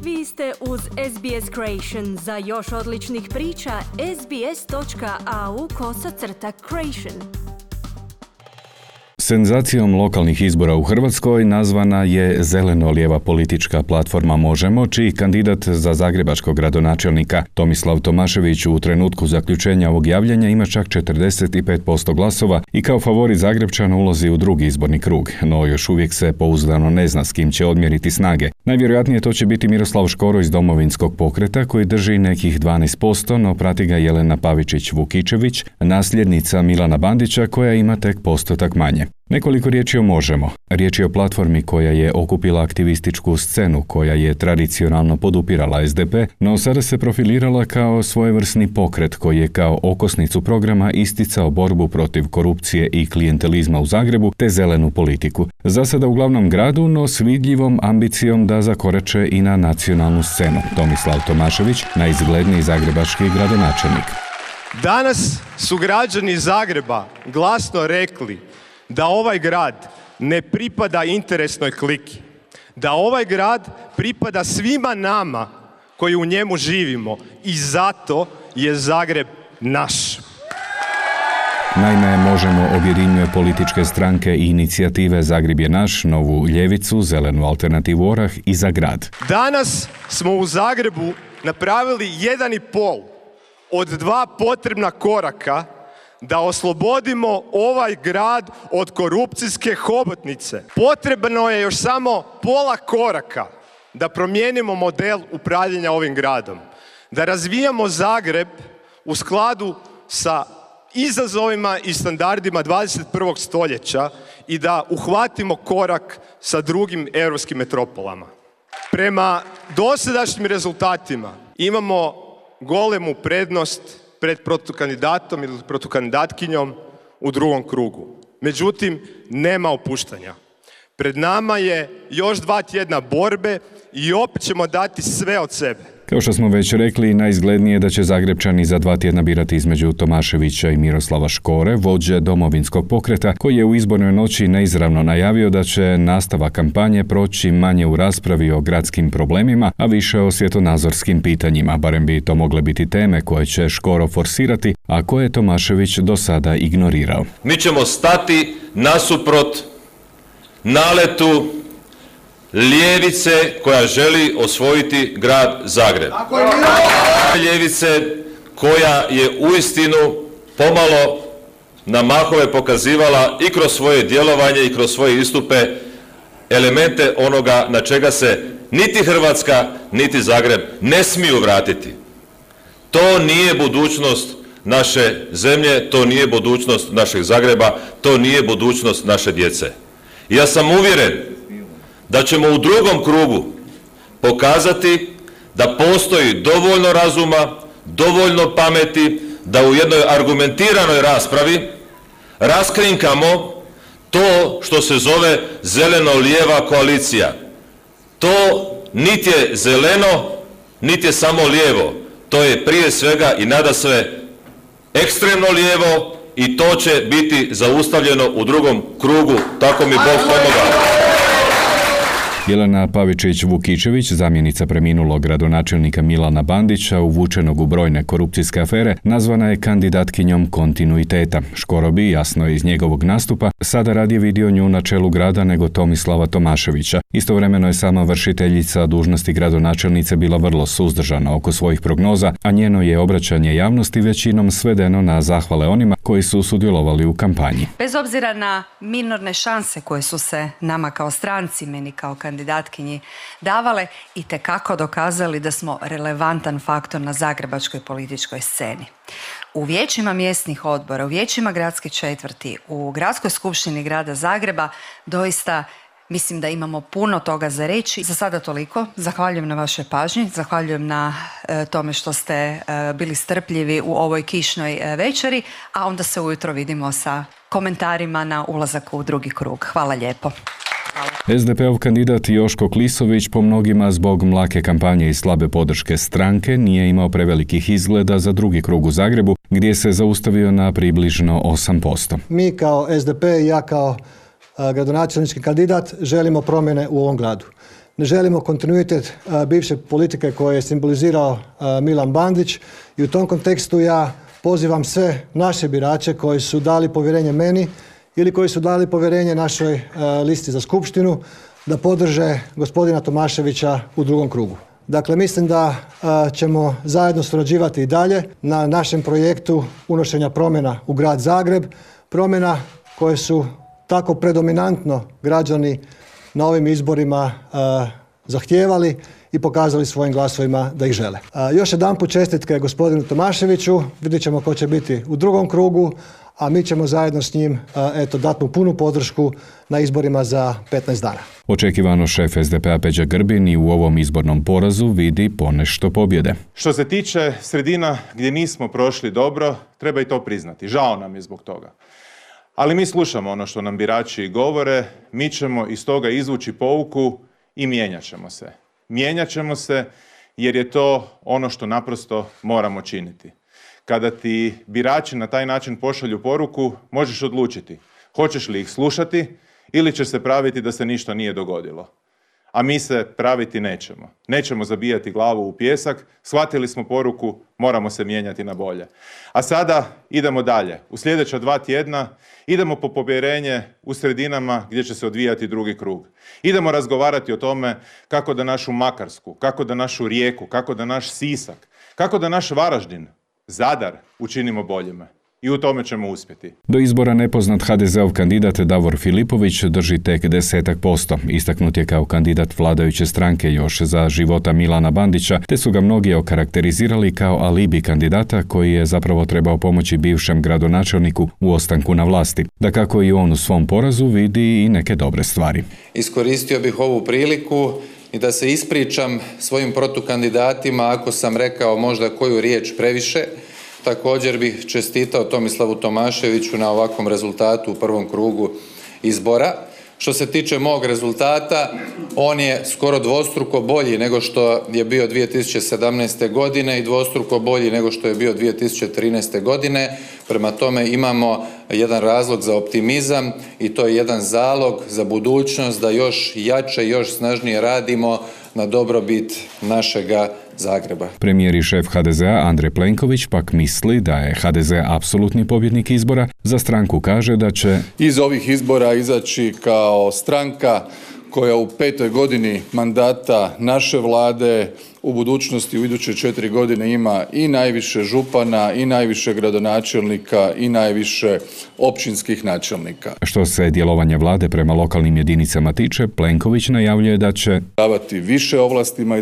Vi ste uz SBS Creation. Za još odličnih priča, sbs.au/creation. Senzacijom lokalnih izbora u Hrvatskoj nazvana je zeleno-lijeva politička platforma Možemo, čiji kandidat za zagrebačkog gradonačelnika Tomislav Tomašević u trenutku zaključenja ovog javljanja ima čak 45% glasova i kao favorit Zagrepčana ulazi u drugi izborni krug, no još uvijek se pouzdano ne zna s kim će odmjeriti snage. Najvjerojatnije to će biti Miroslav Škoro iz Domovinskog pokreta koji drži nekih 12%, no prati ga Jelena Pavičić-Vukičević, nasljednica Milana Bandića koja ima tek postotak manje. Nekoliko riječi o Možemo. Riječ je o platformi koja je okupila aktivističku scenu, koja je tradicionalno podupirala SDP, no sada se profilirala kao svojevrsni pokret koji je kao okosnicu programa isticao borbu protiv korupcije i klijentelizma u Zagrebu te zelenu politiku. Za sada u glavnom gradu, no s vidljivom ambicijom da zakorače i na nacionalnu scenu. Tomislav Tomašević, najizgledniji zagrebački gradonačelnik. Danas su građani Zagreba glasno rekli da ovaj grad ne pripada interesnoj kliki, da ovaj grad pripada svima nama koji u njemu živimo i zato je Zagreb naš. Naime, Možemo objedinjuje političke stranke i inicijative Zagreb je naš, Novu ljevicu, Zelenu alternativu Orah i Za grad. Danas smo u Zagrebu napravili 1,5 od 2 potrebna koraka da oslobodimo ovaj grad od korupcijske hobotnice. Potrebno je još samo pola koraka da promijenimo model upravljanja ovim gradom. Da razvijamo Zagreb u skladu sa izazovima i standardima 21. stoljeća i da uhvatimo korak sa drugim europskim metropolama. Prema dosadašnjim rezultatima imamo golemu prednost pred protukandidatom ili protukandidatkinjom u drugom krugu. Međutim, nema opuštanja. Pred nama je još 2 tjedna borbe i opet ćemo dati sve od sebe. Kao što smo već rekli, najizglednije je da će Zagrepčani za 2 tjedna birati između Tomaševića i Miroslava Škore, vođe Domovinskog pokreta, koji je u izbornoj noći neizravno najavio da će nastavak kampanje proći manje u raspravi o gradskim problemima, a više o svjetonazorskim pitanjima, barem bi to mogle biti teme koje će Škoro forsirati, a koje je Tomašević do sada ignorirao. Mi ćemo stati nasuprot naletu ljevice koja želi osvojiti grad Zagreb. Ljevice koja je uistinu pomalo na mahove pokazivala i kroz svoje djelovanje i kroz svoje istupe elemente onoga na čega se niti Hrvatska niti Zagreb ne smiju vratiti. To nije budućnost naše zemlje, to nije budućnost našeg Zagreba, to nije budućnost naše djece. Ja sam uvjeren da ćemo u drugom krugu pokazati da postoji dovoljno razuma, dovoljno pameti, da u jednoj argumentiranoj raspravi raskrinkamo to što se zove zeleno-lijeva koalicija. To niti je zeleno, niti je samo lijevo. To je prije svega i nadasve ekstremno lijevo i to će biti zaustavljeno u drugom krugu, tako mi Bog pomogao. Jelena Pavičić-Vukičević, zamjenica preminulog gradonačelnika Milana Bandića, uvučenog u brojne korupcijske afere, nazvana je kandidatkinjom kontinuiteta. Škoro bi, jasno je iz njegovog nastupa, sada radije vidio nju na čelu grada nego Tomislava Tomaševića. Istovremeno je sama vršiteljica dužnosti gradonačelnice bila vrlo suzdržana oko svojih prognoza, a njeno je obraćanje javnosti većinom svedeno na zahvale onima koji su sudjelovali u kampanji. Bez obzira na minorne šanse koje su se nama kao stranci, meni kao kandidatkinji davale, itekako dokazali da smo relevantan faktor na zagrebačkoj političkoj sceni. U vijećima mjesnih odbora, u vijećima gradske četvrti, u gradskoj skupštini grada Zagreba doista mislim da imamo puno toga za reći. Za sada toliko. Zahvaljujem na vašoj pažnji, zahvaljujem na tome što ste bili strpljivi u ovoj kišnoj večeri, a onda se ujutro vidimo sa komentarima na ulazak u drugi krug. Hvala lijepo. SDP-ov kandidat Joško Klisović po mnogima zbog mlake kampanje i slabe podrške stranke nije imao prevelikih izgleda za drugi krug u Zagrebu, gdje se zaustavio na približno 8%. Mi kao SDP i ja kao gradonačelnički kandidat želimo promjene u ovom gradu. ne želimo kontinuitet bivše politike koje je simbolizirao Milan Bandić i u tom kontekstu ja pozivam sve naše birače koji su dali povjerenje meni ili koji su dali povjerenje našoj listi za skupštinu da podrže gospodina Tomaševića u drugom krugu. Dakle, mislim da ćemo zajedno surađivati i dalje na našem projektu unošenja promjena u grad Zagreb, promjena koje su tako predominantno građani na ovim izborima zahtijevali i pokazali svojim glasovima da ih žele. Još jedanput čestitke gospodinu Tomaševiću, vidjet ćemo ko će biti u drugom krugu, a mi ćemo zajedno s njim dati mu punu podršku na izborima za 15 dana. Očekivano šef SDP-a Peđa Grbin i u ovom izbornom porazu vidi ponešto pobjede. Što se tiče sredina gdje nismo prošli dobro, treba i to priznati. Žao nam je zbog toga. Ali mi slušamo ono što nam birači govore, mi ćemo iz toga izvući pouku i mijenjat ćemo se. Mijenjat ćemo se jer je to ono što naprosto moramo činiti. Kada ti birači na taj način pošalju poruku, možeš odlučiti hoćeš li ih slušati ili ćeš se praviti da se ništa nije dogodilo. A mi se praviti nećemo. Nećemo zabijati glavu u pijesak, shvatili smo poruku, moramo se mijenjati na bolje. A sada idemo dalje. U sljedeća 2 tjedna idemo po povjerenje u sredinama gdje će se odvijati drugi krug. Idemo razgovarati o tome kako da našu Makarsku, kako da našu Rijeku, kako da naš Sisak, kako da naš Varaždin, Zadar učinimo boljima. I u tome ćemo uspjeti. Do izbora nepoznat HDZ-ov kandidat Davor Filipović drži tek 10%. Istaknut je kao kandidat vladajuće stranke još za života Milana Bandića, te su ga mnogi okarakterizirali kao alibi kandidata koji je zapravo trebao pomoći bivšem gradonačelniku u ostanku na vlasti. Dakako i on u svom porazu vidi i neke dobre stvari. Iskoristio bih ovu priliku i da se ispričam svojim protukandidatima ako sam rekao možda koju riječ previše. Također bih čestitao Tomislavu Tomaševiću na ovakvom rezultatu u prvom krugu izbora. Što se tiče mog rezultata, on je skoro dvostruko bolji nego što je bio 2017. godine i dvostruko bolji nego što je bio 2013. godine. Prema tome imamo jedan razlog za optimizam i to je jedan zalog za budućnost da još jače, još snažnije radimo na dobrobit našega Zagreba. Premijer i šef HDZ-a Andrej Plenković pak misli da je HDZ apsolutni pobjednik izbora. Za stranku kaže da će iz ovih izbora izaći kao stranka koja u 5. godini mandata naše vlade u budućnosti u iduće 4 godine ima i najviše župana, i najviše gradonačelnika, i najviše općinskih načelnika. Što se djelovanja vlade prema lokalnim jedinicama tiče, Plenković najavljuje da će davati više ovlastima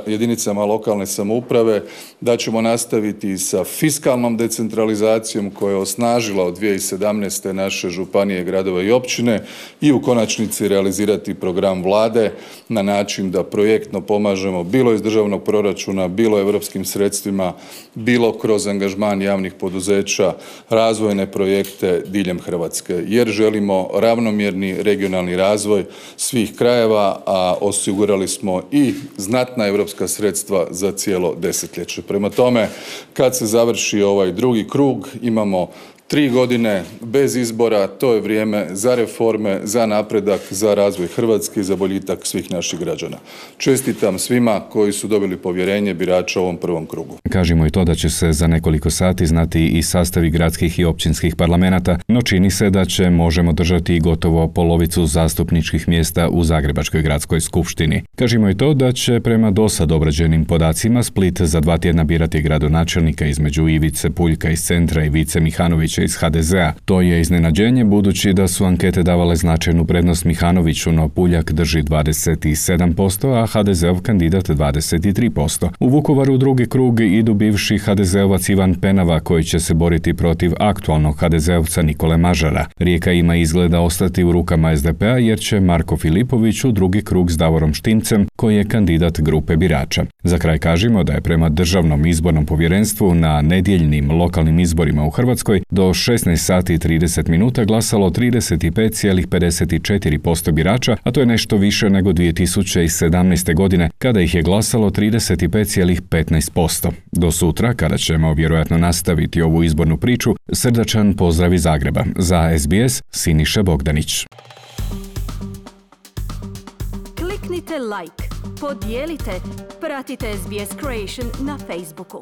jedinicama lokalne samouprave, da ćemo nastaviti sa fiskalnom decentralizacijom koja je osnažila od 2017. naše županije, gradove i općine i u konačnici realizirati program vlade na način da projektno pomažemo bilo iz državnog proračuna, bilo europskim sredstvima, bilo kroz angažman javnih poduzeća, razvojne projekte diljem Hrvatske, jer želimo ravnomjerni regionalni razvoj svih krajeva, a osigurali smo i znatna europska sredstva za cijelo desetljeće. Prema tome, kad se završi ovaj drugi krug, imamo 3 godine bez izbora, to je vrijeme za reforme, za napredak, za razvoj Hrvatske i za boljitak svih naših građana. Čestitam svima koji su dobili povjerenje birača u ovom prvom krugu. Kažemo i to da će se za nekoliko sati znati i sastavi gradskih i općinskih parlamenata, no čini se da će možemo držati i gotovo polovicu zastupničkih mjesta u Zagrebačkoj gradskoj skupštini. Kažemo i to da će prema dosad obrađenim podacima Split za 2 tjedna birati gradonačelnika između Ivice Puljka iz Centra i Vice Mihanovića iz HDZ-a. To je iznenađenje budući da su ankete davale značajnu prednost Mihanoviću, no Puljak drži 27%, a HDZ-ov kandidat 23%. U Vukovaru u drugi krug idu bivši HDZ-ovac Ivan Penava koji će se boriti protiv aktualnog HDZ-ovca Nikole Mažara. Rijeka ima izgleda ostati u rukama SDP-a jer će Marko Filipović u drugi krug s Davorom Štimcem koji je kandidat grupe birača. Za kraj kažemo da je prema Državnom izbornom povjerenstvu na nedjeljnim lokalnim izborima u Hrvatskoj do 16 sati i 30 minuta glasalo 35,54% birača, a to je nešto više nego 2017. godine kada ih je glasalo 35,15%. Do sutra, kada ćemo vjerojatno nastaviti ovu izbornu priču, srdačan pozdrav iz Zagreba. Za SBS, Siniša Bogdanić. Kliknite kliknite like, podijelite, pratite SBS Creation na Facebooku.